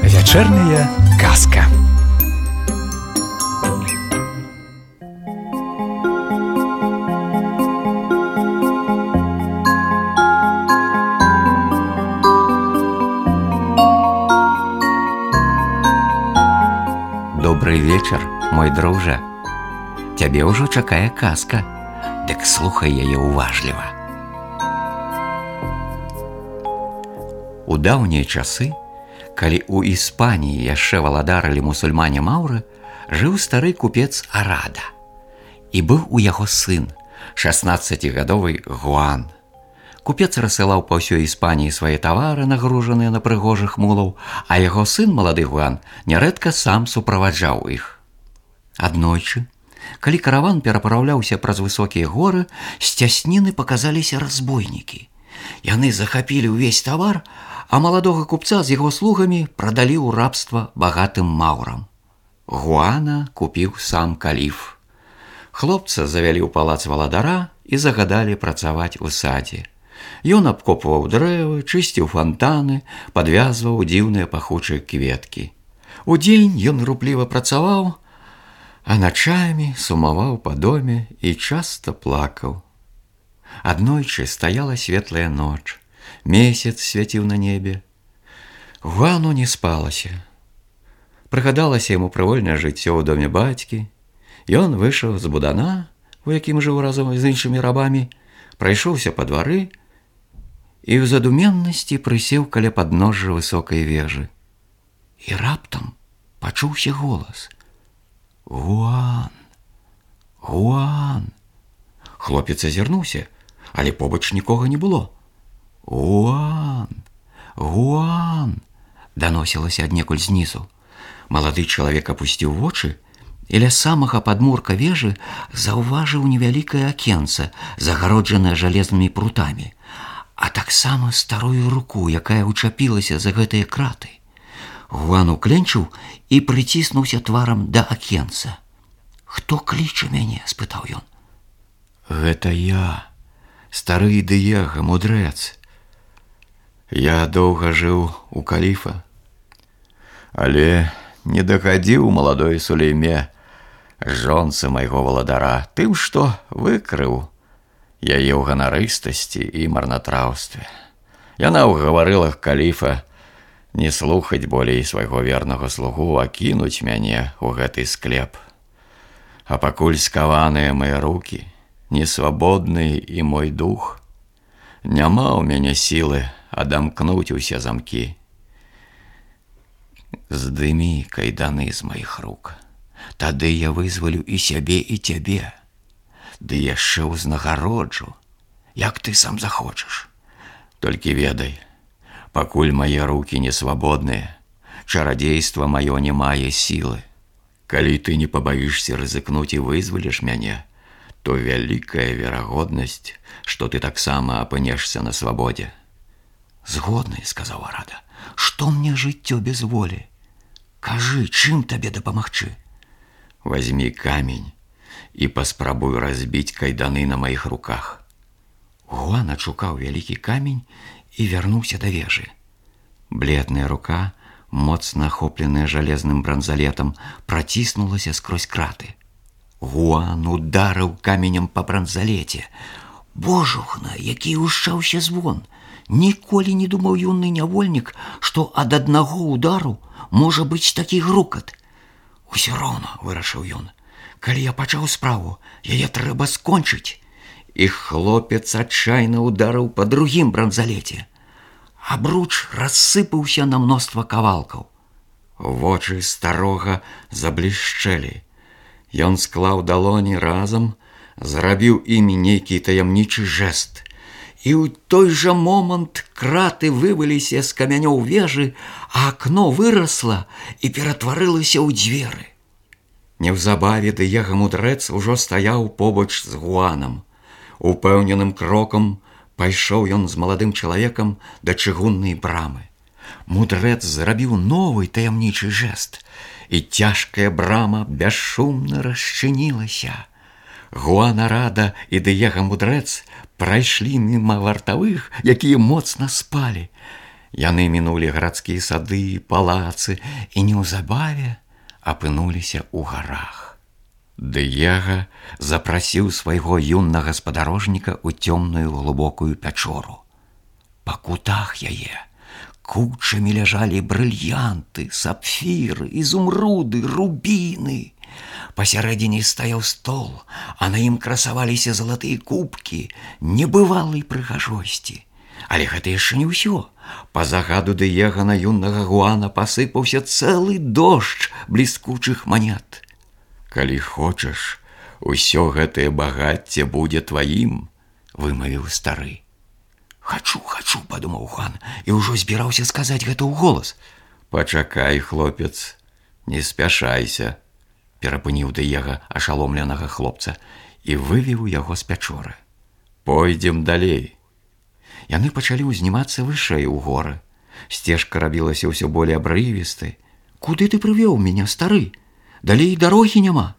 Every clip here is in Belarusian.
Вечерняя казка. Добрый вечер, мой друже. Цябе ўжо чакае казка. Дык слухай яе уважліва. У даўнія часы, калі ў Іспаніі яшчэ валадарылі мусульмане Маўры, жыў стары купец Арада. І быў у яго сын, 16гадовы Гуан. Купец рассылаў па ўсёй Іспаніі свае тавары, нагружаныя на прыгожых мулаў, а яго сын, малады Гуан, нярэдка сам суправаджаў іх. Аднойчы, калі караван перапраўляўся праз высокія горы, з цясніны паказаліся разбойнікі. Яны захапілі ўвесь тавар, а маладога купца з яго слугамі прадалі ў рабства багатым маўрам. Гуана купіў сам каліф. Хлопца завялі ў палац валадара і загадалі працаваць у садзе. Ён абкопваў дрэвы, чысціў фантаны, падвязваў дзіўныя пахучыя кветкі. Удзень ён рупліва працаваў, а начамі сумаваў па доме і часта плакаў. Аднойчы стаяла светлая ноч, месяц свяціў на небе. Гуану не спалася. Прыгадалася яму прывольнае жыццё ў доме бацькі. Ён выйшаў з будана, у якім жыў разам з іншымі рабамі, прайшоўся па двары і ў задуменнасці прысеў каля падножжа высокай вежы. І раптам пачуўся голас: «Гуан! Гуан!» Хлопец азірнуўся, але побач нікога не было. «Гуан! Гуан!» даносілася аднекуль знізу. Малады чалавек апусціў вочы і ля самага падмурка вежы заўважыў невялікае акенца, загароджанае жалезнымі прутамі, а таксама старую руку, якая ўчапілася за гэтыя краты. Гуан укленчыў і прыціснуўся тварам да акенца. «Хто кліча мяне?» – спытаў ён. «Гэта я, стары Дыега, мудрэц. Я доўга жыў у каліфа, але не дагадзіў маладой Сулейме, жонцы майго валадара, тым, што выкрыў яе ў ганарыстасці і марнатраўстве. Яна ўгаварыла каліфа не слухаць болей свайго вернага слугу, а кінуць мяне ў гэты склеп. А пакуль скаваныя мае рукі, несвабодны і мой дух, няма ў мяне сілы адамкнуць усе замкі. Здымі кайданы з маіх рук, тады я вызвалю і сябе, і цябе. Ды яшчэ ўзнагароджу, як ты сам захочаш. Толькі ведай, пакуль мае рукі не свабодныя, чарадзейства маё не мае сілы. Калі ты не пабаішся рызыкнуць і вызваліш мяне, то вялікая верагоднасць, што ты таксама апынешся на свабодзе». «Згодны», – сказаў Арада. «Што мне жыццё без волі? Кажы, чым табе дапамагчы?» «Вазьмі камень і паспрабуй разбіць кайданы на маіх руках». Гуан адшукаў вялікі камень і вярнуўся да вежы. Бледная рука, моцна ахопленая жалезным бранзалетам, праціснулася скрозь краты. Гуан ударыў каменем па бранзалеце. Божухна, які ўшчаўся звон! Ніколі не думаў юны нявольнік, што ад аднаго удару можа быць такі грукат. «Усё роўна», – вырашыў ён, – «калі я пачаў справу, яе трэба скончыць». І хлопец адчайна ударыў па другім бранзалеце. Абруч рассыпаўся на мноства кавалкаў. Вочы старога заблішчэлі. Ён склаў далоні разам, зрабіў імі нейкі таямнічы жэст. І ў той жа момант краты вываліся з камянёў вежы, а акно вырасла і ператварылася ў дзверы. Неўзабаве Дыега мудрэц ужо стаяў побач з Гуанам. Упэўненым крокам пайшоў ён з маладым чалавекам да чыгуннай брамы. Мудрэц зрабіў новы таямнічы жэст, і цяжкая брама бесшумна расчынілася. Гуан Арада і Дыега Мудрэц прайшлі міма вартавых, якія моцна спалі. Яны мінулі гарадскія сады, палацы і неўзабаве апынуліся ў гарах. Дыега запрасіў свайго юннага спадарожніка ў цёмную глыбокую пячору. Па кутах яе кучамі ляжалі брыльянты, сапфіры, ізумруды, рубіны. Пасярэдзіне стаяў стол, а на ім красаваліся залатыя кубкі небывалай прыгажосці. Але гэта яшчэ не ўсё. Па загаду Дыега на юннага Гуана пасыпаўся цэлы дождж бліскучых манет. «Калі хочаш, усё гэтае багацце будзе тваім», – вымавіў стары. «Хачу, падумаў Гуан, і ўжо збіраўся сказаць гэта ўголас. «Пачакай, хлопец, не спяшайся», – перапыніў Дыега ашаломленага хлопца і вывеў яго з пячоры. «Пойдзем далей». Яны пачалі ўзнімацца вышэй у горы. Сцежка рабілася ўсё болей абрывістай. «Куды ты прывёў мяне, стары? Далей дарогі няма».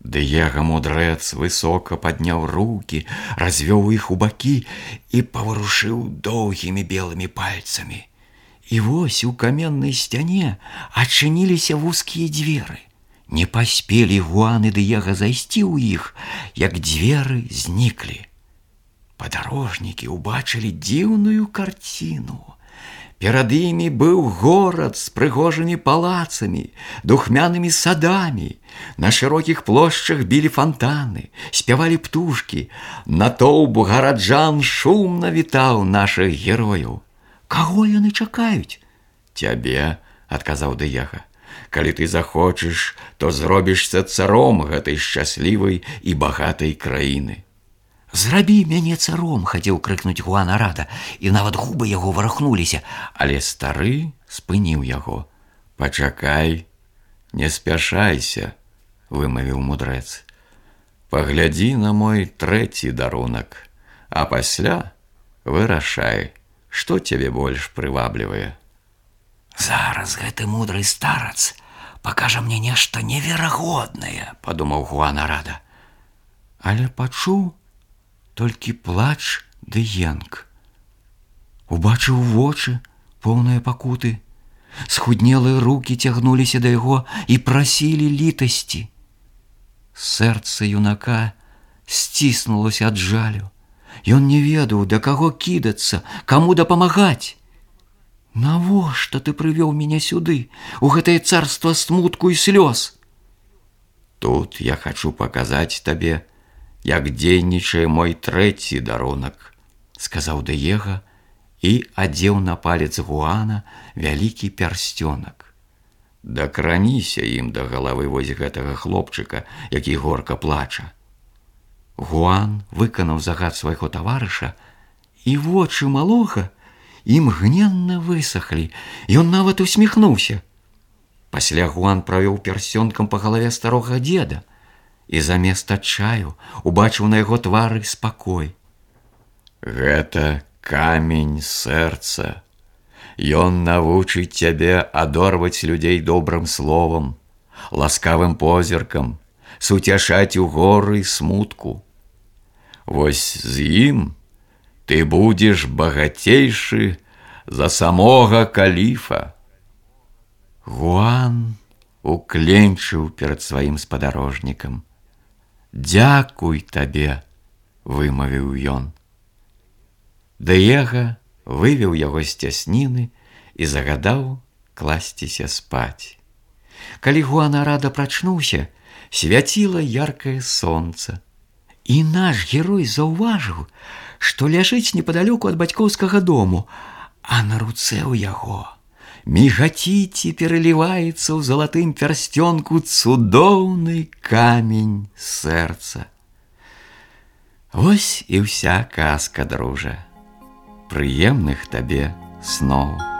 Дыега Мудрэц высока падняў рукі, развёў іх у бакі і паварушыў доўгімі белымі пальцамі. І вось у каменнай сцяне адчыніліся вузкія дзверы. Не паспелі Гуан і Дыега зайсці ў іх, як дзверы зніклі. Падарожнікі ўбачылі дзіўную карціну. Перад імі быў горад з прыгожымі палацамі, духмянымі садамі. На шырокіх плошчах білі фантаны, спявалі птушкі. Натоўп гараджан шумна вітаў нашых герояў. «Каго яны чакаюць?» «Цябе», – адказаў Дыега. «Калі ты захочаш, то зробішся царом гэтай шчаслівай і багатай краіны». «Зрабі мяне царом!» – хацеў крыкнуць Гуан Арада, і нават губы яго варухнуліся, але стары спыніў яго. «Пачакай, не спяшайся», – вымавіў мудрэц. «Паглядзі на мой трэці дарунак, а пасля вырашай, што цябе больш прываблівае». «Зараз гэты мудры старац пакажа мне нешта неверагоднае», – падумаў Гуан Арада. Але пачуў толькі плач ды енк. Убачыў вочы, поўныя пакуты. Схуднелыя рукі цягнуліся да яго і прасілі літасці. Сэрца юнака сціснулася ад жалю. Ён не ведаў, да каго кідацца, каму дапамагаць. «Навошта ты прывёў мяне сюды, у гэтае царства смутку і слёз?» «Тут я хачу паказаць табе, як дзейнічае мой трэці дарунак», – сказаў Дыега і адзеў на палец Гуана вялікі пярсцёнак. «Дакраніся ім да галавы вось гэтага хлопчыка, які горка плача». Гуан выканаў загад свайго таварыша, і вочы малога імгненна высахлі, ён нават усміхнуўся. Пасля Гуан правёў пярсцёнкам па галаве старога дзеда, і замест адчаю убачыў на яго твары спакой. «Гэта камень сэрца. Ён навучыць цябе адорваць людзей добрым словам, ласкавым позіркам, суцяшаць у горы смутку. Вось з ім ты будзеш багацейшы за самога каліфа». Гуан укленчыў перад сваім спадарожнікам. «Дзякуй табе», – вымавіў ён. Дыега вывеў яго з цясніны і загадаў класціся спаць. Калі Гуан Арада прачнуўся, свяціла яркае сонца. І наш герой заўважыў, што ляжыць непадалёку ад бацькоўскага дому, а на руцэ ў яго мігаціць і пераліваецца ў залатым пярсцёнку цудоўны камень сэрца. Вось і ўся казка, дружа. Прыемных табе сноў.